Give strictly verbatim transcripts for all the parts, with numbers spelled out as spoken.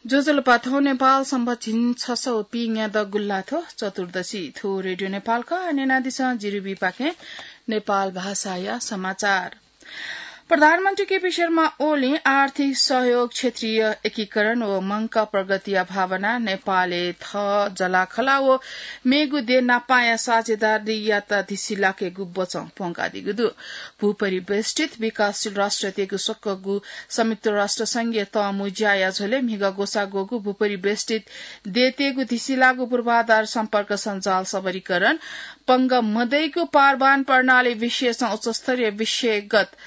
ज्वजलपा, थौं नेपाल संवत् झिंछसः व पीन्यादँ गुल्लाथ्व चतुर्दशी। थ्व रेडियो नेपाल खः। न्यनादिसँ जिरिबीपाखें नेपाल भाषाया समाचार। प्रधानमन्त्री केपी शर्मा ओलीं आर्थिक सहयोग, क्षेत्रीय एकीकरण व मंकाः प्रगतिया भावना नेपालय् थः जःलाखःला व मेगु देय् नापांया साझेदारीयात धिसिलाकेगु बचं प्वंकादीगु दु। भूपरिवेष्टित विकासशील राष्ट्रतय्गु स्वकःगु संयुक्त राष्ट्र संघीय तःमु ज्याया झ्वलय् म्हिगः ग्वसाः ग्वःगु भूपरिवेष्टित देय्तय्गु धिसिलाःगु पूर्वाधार सम्पर्क सञ्जाल सबलीकरण, पंगः मदइगु पारवहन प्रणाली विषयसं उच्चस्तरीय विषयगत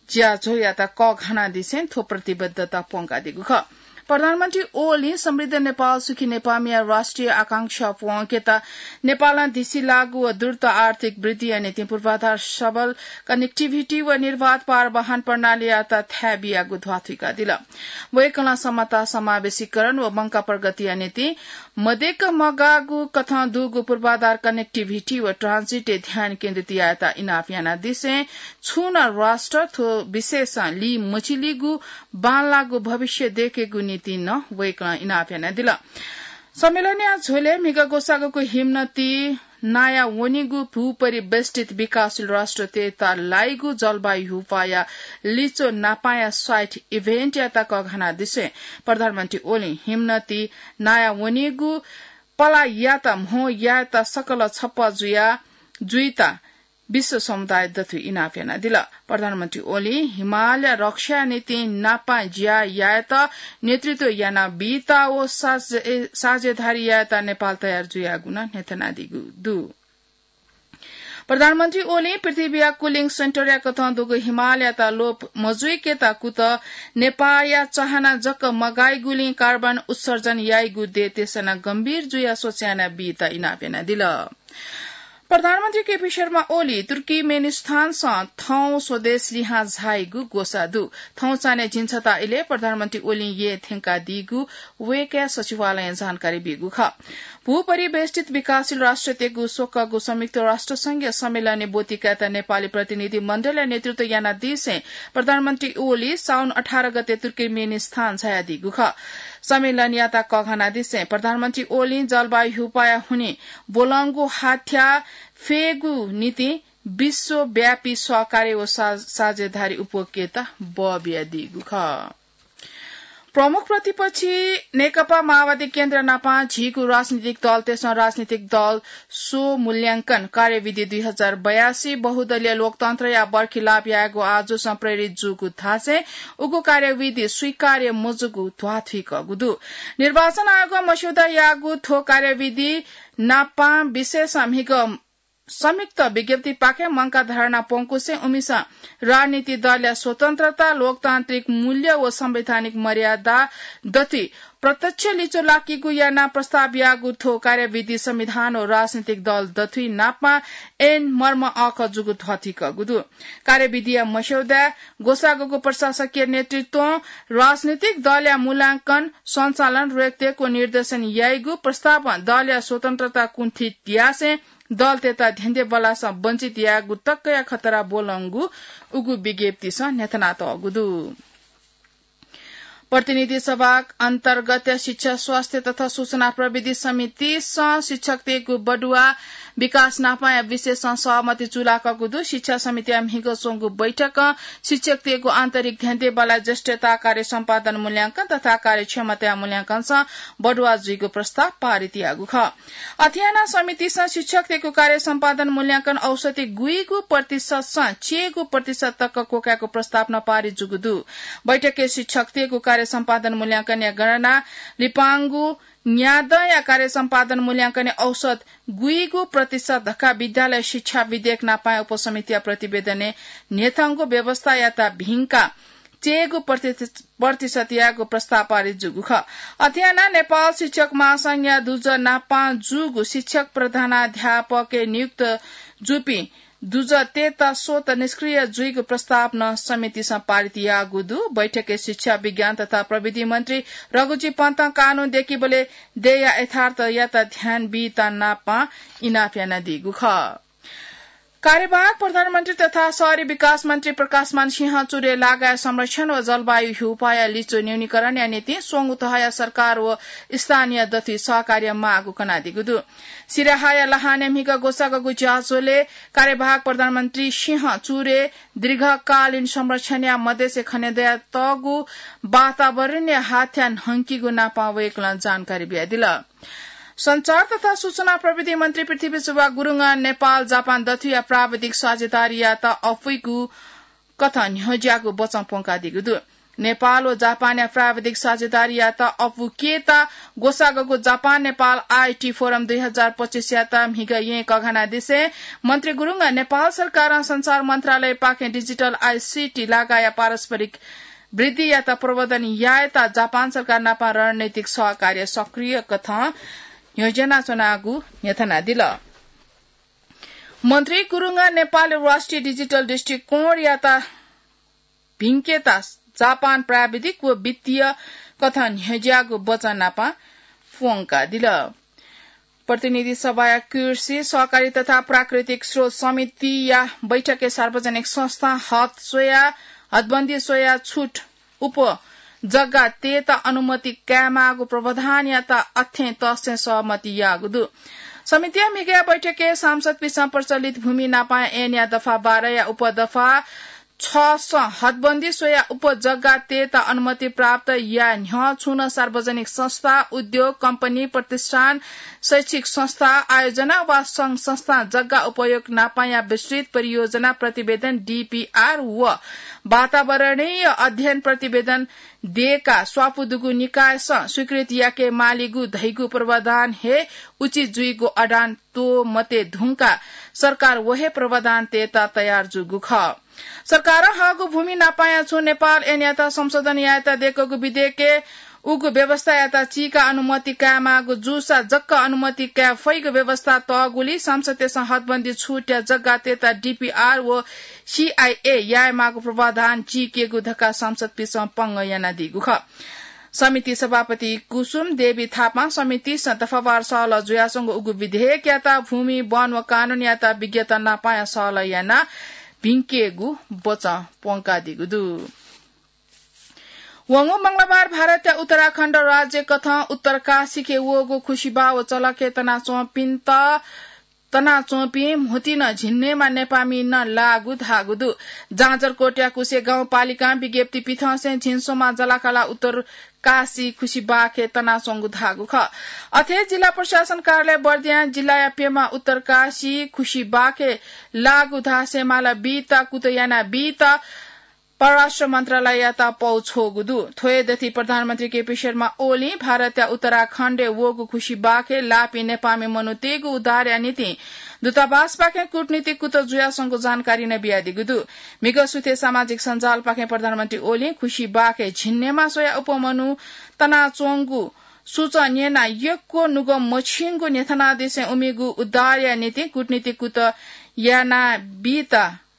ज्याझ्वःयात कःघानादिसें थ्व प्रतिबद्धता प्वंकादीगु खः। प्रधानमन्त्री ओलीं समृद्ध नेपाल सुखी नेपालया राष्ट्रिय आकांक्षा प्वंकेत नेपालं धिसिलाःगु व द्रुत आर्थिक वृद्धिया निंतिं पूर्वाधार सबल connectivity व निर्वाध पारवहन प्रणालीयात थाय् बियागु ध्वाथुइकादिल। वय्कलं समता, समावेशीकरण व मंकाः प्रगतिया निंतिं मदय्क मगाःगु कथं दुगु पूर्वाधार connectivity व transit-य् ध्यान केन्द्रित यायेत इनाप यानादिसें छुं नं राष्ट्र थ्व विषयसं लिमचिलीगु बांलाःगु भविष्य दय्केगु निंतिं नं वय्कलं इनाप यानादिल। सम्मेलनया झ्वलय् म्हिगः ग्वसाःग्वःगु हिमनदी नाया वनीगु भूपरिवेष्टित विकासशील राष्ट्रतय्त लाइगु जलवायु ह्युपाया लिच्वः नापांया साइट event-यात कःघानादिसें प्रधानमन्त्री ओलीं हिमनदी नाया वनीगु पलाःयात म्हो यायेत सकल छप्पँ जुया जुइत विश्व समुदाय दथुइ इनाप यानादिल। प्रधानमन्त्री ओलीं हिमालय रक्षाया निंतिं नापां ज्या यायेत नेतृत्व यानाबीत व साझे-, साझेदारी यायेत नेपाल तयार जुयागु नं न्ह्यथनादीगु दु। प्रधानमन्त्री ओलीं पृथ्वीया cooling centre-या कथं दुगु हिमालयात लोप मजुइकेत कुतः नेपाःया चाहना जक मगाइगुलिं carbon उत्सर्जन याइगु देय् तेसना गम्भीर जुयाः सोचे यानाबीत इनाप यानादिल। प्रधानमन्त्री केपी शर्मा ओली तुर्कीमेनिस्थानसं थौं स्वदेश लिहां झाइगु ग्वसाः दु। थौं चान्हय् झिंछता इलय् प्रधानमन्त्री ओलीं येँ थ्यंकादीगु वय्कःया सचिवालयं जानकारी बीगु खः। भूपरिवेष्टित विकासशील राष्ट्रतय्गु स्वकःगु संयुक्त राष्ट्र संघीय सम्मेलनय् ब्वति कायेत नेपाली प्रतिनिधि मण्डलया नेतृत्व यानादिसें प्रधानमन्त्री ओली साउन अठार गते तुर्कीमेनिस्थान झायादीगु खः। सम्मेलनयात कःघानादिसें प्रधानमन्त्री ओलीं जलवायु ह्युपाया हुनिं ब्वलंगु हाथ्या फ्येगु निंतिं विश्वव्यापी सहकार्य व सा-, साझेदारी उप्वय्केत बः बियादीगु खः। प्रमुख प्रतिपक्षी नेकपा माओवादी केन्द्र नापं झीगु राजनीतिक दलतय्सं राजनीतिक दल स्वमूल्यांकन कार्यविधि दुई हजार बयासी बहुदलीय लोकतन्त्रया बर्खिलाप यायेगु आजुसं प्रेरित जूगु धासें उगु कार्यविधि स्वीकार्य मजूगु ध्वाथुइकूगु दु। निर्वाचन आयोगं मस्यौदा याःगु थ्व कार्यविधि नापं विषयसं म्हिगः संयुक्त विज्ञप्तिपाखें मंकाः धर्ना प्वंकुसें उमिसं राजनीतिक दलया स्वतन्त्रता, लोकतान्त्रिक मूल्य व संवैधानिक मर्यादा दथुइ प्रत्यक्ष लिच्वः लाकीगु यानाः प्रस्ताव याःगु थ्व कार्यविधि संविधान व राजनीतिक दल दथुइ नापं ऐन मर्म अःखः जूगु ध्वाथुइकूगु दु। कार्यविधिया मस्यौदाय् ग्वसाःग्वःगु प्रशासकीय नेतृत्वं राजनीतिक दलया मूल्यांकन, सञ्चालन, रेखदेख व निर्देशन याइगु प्रस्तावं दलया स्वतन्त्रता कुण्ठित यासें दलतय्त धेंधेंबल्लासं वञ्चित यायेगु तकया खतरा ब्वलंगु उगु विज्ञप्तिसं न्ह्यथनातःगु दु। प्रतिनिधि सभा अन्तर्गत शिक्षा, स्वास्थ्य तथा सूचना प्रविधि समितिसं शिक्षकतय्गु बढुवा विकास नापंया विषयसं सहमति जुलाकूगु दु। शिक्षा समितिया म्हिगः च्वंगु बैठकं शिक्षकतय्गु आन्तरिक धेंधेंबल्लाया ज्येष्ठता, कार्य सम्पादन मूल्यांकन तथा कार्यक्षमताया मूल्यांकनसं बढुवा जुइगु प्रस्ताव पारित याःगु खः। अथे यानाः समितिसं शिक्षकतय्गु कार्य सम्पादन मूल्यांकन औसत गुइगु प्रतिशतसं चय्गु प्रतिशत तक क्वकायेगु प्रस्ताव नं पारित जूगु दु। बैठकय् शिक्षकतय्गु कार्य सम्पादन मूल्यांकनया गणना लिपांगु न्यादँया कार्य सम्पादन मूल्यांकनय् औसत गुइगु प्रतिशत धकाः विद्यालय शिक्षा विधेयक नापंया उपसमितिया प्रतिवेदनय् न्ह्यथंगु व्यवस्थायात भिंकाः चय्गु प्रति-, प्रतिशत यायेगु प्रस्ताव पारित जूगु खः। अथे यानाः नेपाल शिक्षक महासंघया दुजः नापं जूगु शिक्षक प्रधानाध्यापकय् नियुक्त जूपिं दुजःतय्त स्वतः निष्क्रिय जुइगु प्रस्ताव नं समितिसं पारित याःगु दु। बैठकय् शिक्षा, विज्ञान तथा प्रविधि मन्त्री रघुजी पन्तं कानून दय्कीबलय् देय्या यथार्थयात ध्यान बीत नापं इनाप यानादीगु खः। कार्यवाहक प्रधानमन्त्री तथा शहरी विकास मन्त्री प्रकाशमान सिंह चुरे लागाय् संरक्षण व जलवायु ह्यूपाया लिचु न्यूनीकरणया निंतिं स्वंगू तहया सरकार व स्थानीय दथुइ सहकार्य माःगु कनादीगु दु। सिराहाया लहानय् म्हिगः ग्वसाःगःगु ज्याझ्वलय् कार्यवाहक प्रधानमन्त्री सिंह चुरे दीर्घकालीन संरक्षणया मदेसे खनेदयातःगु वातावरणीय हाथ्या न्हंकीगु नापं वय्कलं जानकारी बियादिल। सञ्चार तथा सूचना प्रविधि मन्त्री पृथ्वीशोभा गुरुङं नेपाल जापान दथुया प्राविधिक साझेदारीयात अपुइगु कथं न्ह्यज्याःगु बचं प्वंकादीगु दु। नेपाल व जापानया प्राविधिक साझेदारीयात अपुकेत ग्वसाःगःगु जापान नेपाल आईटी फोरम दुई हजार पच्चीसयात म्हिगः येँ कघानादिसें मन्त्री गुरुङं नेपाल सरकारं सञ्चार मन्त्रालयपाखें डिजिटल आईसीटी लागाया पारस्परिक वृद्धियात प्रवर्धन यायेत जापान सरकार नापं रणनीतिक सहकार्य सक्रिय कथं न्ह्यज्यानाच्वनागु न्ह्यथनादिल। मन्त्री गुरुङं नेपाल राष्ट्रिय डिजिटल दृष्टिकोणयात भिंकेत जापान प्राविधिक व वित्तीय कथं न्ह्यज्याःगु बचं नापं प्वंकादिल। प्रतिनिधि सभाया कृषि, सहकारी तथा प्राकृतिक स्रोत समितिया बैठकय् सार्वजनिक संस्था हद स्वया, हदबन्दी स्वया छुट उपजग्गा तयेत अनुमति कायेमाःगु प्रावधानयात अथें तसें सहमति याःगु दु। समितिया म्हिगःया बैठकय् सांसदपिसं प्रचलित भूमि नापं ऐनया दफा बाह्रया उपदफा छसं हदबन्दी स्वया उपजग्गा तयेत अनुमति प्राप्त याये न्ह्यः छुं नं सार्वजनिक संस्था, उद्योग, कम्पनी, प्रतिष्ठान, शैक्षिक संस्था, आयोजना वा संघ संस्था जग्गा उपयोग नापंया विस्तृत परियोजना प्रतिवेदन, डीपीआर, व वातावरणीय अध्ययन प्रतिवेदन देका स्वापू दुगु निकायसं स्वीकृति याके मालीगु धइगु प्रावधान हे उचित जुइगु अडान त्वःमते धुंका सरकार व हे प्रावधान तयेत तयार जूगु खः। सरकारं हःगु भूमि नापंया छुं नेपाल ऐनयात संशोधन यायेत दय्कूगु विधेयकय् उगु व्यवस्थायात चीका अनुमति कायेमाःगु जूसा जक्क अनुमति काये फइगु व्यवस्था तःगुलिं सांसदतय्सं हदबन्दी छुटया जग्गा तयेत डीपीआर व सीआईए यायेमाःगु प्रावधान चीकेगु धकाः सांसदपिसं पंगः यानादीगु खः। समिति सभापति कुसुम देवी थापां समितिसं दफावार सहलह जुयाच्वंगु उगु विधेयकयात भूमि, वन व कानूनयात विज्ञत नापंया सहलह यानाः भिंकेगु बचं प्वंकादीगु दु। वंगु मंगलबार भारतया उत्तराखण्ड राज्य कथं उत्तरकाशीखे वःगु खुसिबाः व चलखे तनाच्वंपिन्त तनाच्वंपिं म्होतिं नं झिंन्हय्मा नेपाःमि नं लाःगु धाःगु दु। जाजरकोटया कुसे गाउँपालिकां विज्ञप्ति पिथंसें झिंस्वम्ह जलाकाला उत्तरकाशी खुसिबाःखे तनाच्वंगु धाःगु खः। अथे जिल्ला प्रशासन कार्यालय बर्दियां जिल्लाया प्यम्ह उत्तरकाशी खुसिबाःखे लाःगु धासें माला बीत कुतः याना बीत परराष्ट्र मन्त्रालययात पौ छ्वःगु दु। थ्व हे दथुइ प्रधानमन्त्री केपी शर्मा ओलीं भारतया उत्तराखण्डय् वःगु खुसिबाःखे लाःपिं नेपाःमि मनूतय्गु उद्धारया निंतिं दूतावासपाखें कूटनीतिक कुतः जुयाच्वंगु जानकारी नं बियादीगु दु। म्हिगः सुथय् सामाजिक सञ्जालपाखें प्रधानमन्त्री ओलीं खुसिबाःखे झिंन्हय्मा स्वयाः अप्वः मनू तनाच्वंगु सूचं न्यनाः यक्व नुगः मछिंगु न्ह्यथनादिसें उमिगु उद्धारया निंतिं कूटनीतिक कुतः याना बीत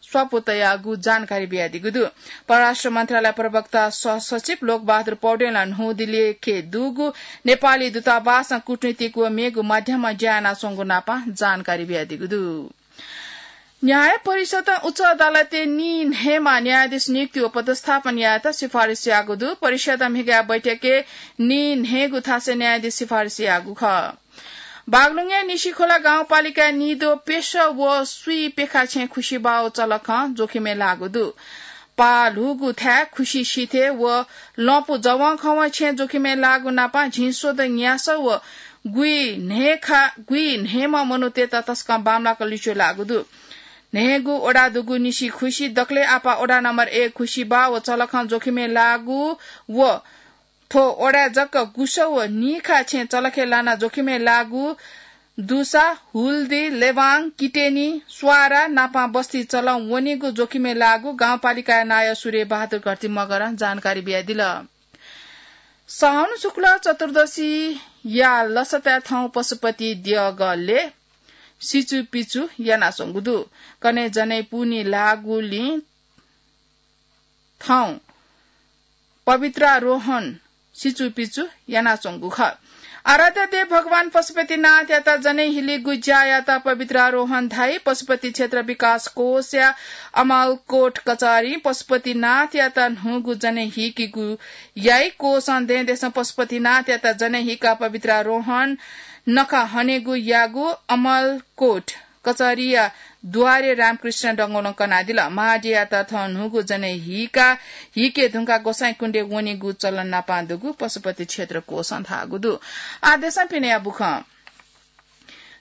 स्वापू तयागु जानकारी बियादीगु दु। परराष्ट्र मन्त्रालय प्रवक्ता सहसचिव लोकबहादुर पौडेलं न्हूदिल्लीखे दुगु नेपाली दूतावासं कूटनीतिक व मेगु माध्यमं ज्या यानाच्वंगु नापं जानकारी बियादीगु दु। न्याय परिषदं उच्च अदालतय् नीन्हय्मा न्यायाधीश नियुक्ति व पदस्थापन यायेत सिफारिस याःगु दु। परिषदं म्हिगःया बैठकय् नीन्हय्गु थासय् न्यायाधीश सिफारिस याःगु खः। बागलुङया निसिखोला गाउँपालिकाय् निद्वः प्यसः व स्वीः प्यखा छेँ खुसिबाः व चलखं जोखिमय् लाःगु दु। पाः ल्हूगु थाय् खुसि सिथय् व लँपु जवंखवं छेँ जोखिमय् लाःगु नापं झिंस्वदँ न्यासः व गुइन्हय्खा गुइन्हय्म्ह मनूतय्त तसकं बांमलाक लिच्वः लाःगु दु। न्हय्गू वडा दुगु निसिखुसि दकलय् आपाः वडा नम्बर एक खुसिबाः व चलखं जोखिमय् लाःगु व थ्व वडाय् जक गुसः व नीखा छेँ चलखे लानाः जोखिमय् लाःगु दुसा हुल्दी, लेवाङ, किटेनी, स्वारा नापं बस्ती चलं वनीगु जोखिमय् लाःगु गाउँपालिकाया नायः सूर्य बहादुर घरती मगरं जानकारी बियादिल। साउन शुक्ल चतुर्दशीया लसताय् थौं पशुपति देगलय् सिचुपिचु यानाच्वंगु दु। कन्हय् जनै पुन्हि लाःगुलिं थौं पवित्रारोहण सिचुपिचु यानाच्वंगु खः। आराध्य देव भगवान पशुपतिनाथयात जनै हिलीगु ज्यायात पवित्रारोहण धाइ। पशुपति क्षेत्र विकास कोषया अमलकोट कचहरीं पशुपतिनाथयात न्हूगु जनै हीकेगु याइ। कोषं दँय्‌दसं पशुपतिनाथयात जनै हीकाः पवित्रारोहण नखः हनेगु याःगु अमलकोट कचहरीया द्वारे रामकृष्ण डंगोलं कनादिल। महाद्यःयात थः न्हूगु जनै हीकाः हीके धुंकाः गोसाइँकुण्डय् वनेगु चलन नापं दुगु पशुपति क्षेत्र कोषं धाःगु दु। आः देशं पिनेया बुखँ।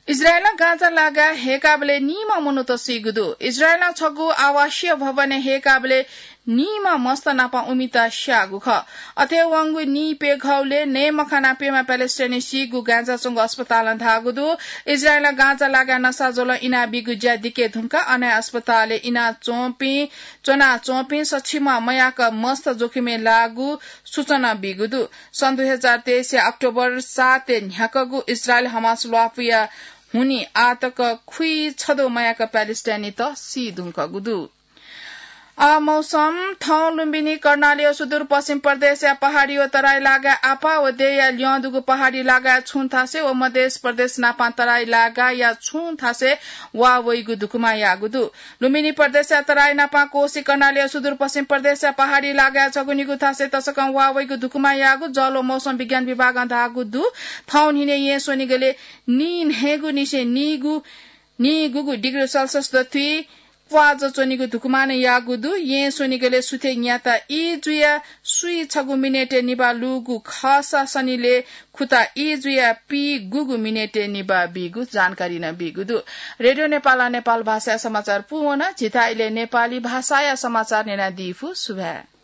इजरायलं गाजा लागाय् हय्‌काबलय् नीम्ह मनूत सीगु दु। इजरायलं छगू आवासीय भवनय् हय्‌काबलय् नीम्ह मस्त नापं उमित स्याःगु खः। अथे वंगु नीप्यघौलय् नये मखनाः प्यम्ह प्यालेस्टाइनी सीगु गाजा च्वंगु अस्पतालं धाःगु दु। इजरायलं गाजा लागाय् नसाज्वलं इनाबीगु ज्या दिके धुंकाः अन हे अस्पतालय् इनाच्वंपिं, च्वनाच्वंपिं सछिम्ह मयाक मस्त जोखिमय् लाःगु सूचना बीगु दु। सन् दुई हजार तेइसया अक्टोबर सातय् न्ह्याकःगु इजरायल हमास ल्वापुया हुनिं आःतक खुइछद्वः मयाक प्यालेस्टाइनीत सी धुंकूगु दु। आः मौसम। थौं लुम्बिनी कर्णाली व सुदूरपश्चिम प्रदेशया पहाडी व तराई लागाय् आपाः व देय्‌या ल्यं दुगु पहाडी लागाय् छुं थासय् व मधेस प्रदेश नापं तराई लागाया छुं थासय् वा वइगु धुकुमा याःगु दु। लुम्बिनी प्रदेशया तराई नापं कोशी कर्णाली व सुदूरपश्चिम प्रदेशया पहाडी लागाय् छगू निगू थासय् तसकं वा वइगु धुकुमा याःगु जल व मौसम विज्ञान विभागं धाःगु दु। थौं न्हिनय् येँ स्वनिगलय् नीन्हय्‌गु निसें नीगु, नीगुगु डिग्री सेल्सियस दथुइ प्वाःजः च्वनीगु धुकुमानं याःगु दु। येँ स्वनिगलय् सुथय् न्याता ई जुयाः सुइ छगू मिनेटय् निभाः लूगु खःसा सनिलय् खुता ई जुयाः पीगुगु मिनेटय् निभाः बीगु जानकारी नं बीगु दु। रेडियो नेपालं नेपाल भाषाया समाचार पूवन। झीथाय् इलय् नेपाली भाषाया समाचार न्यनादीफु। सुभाय्।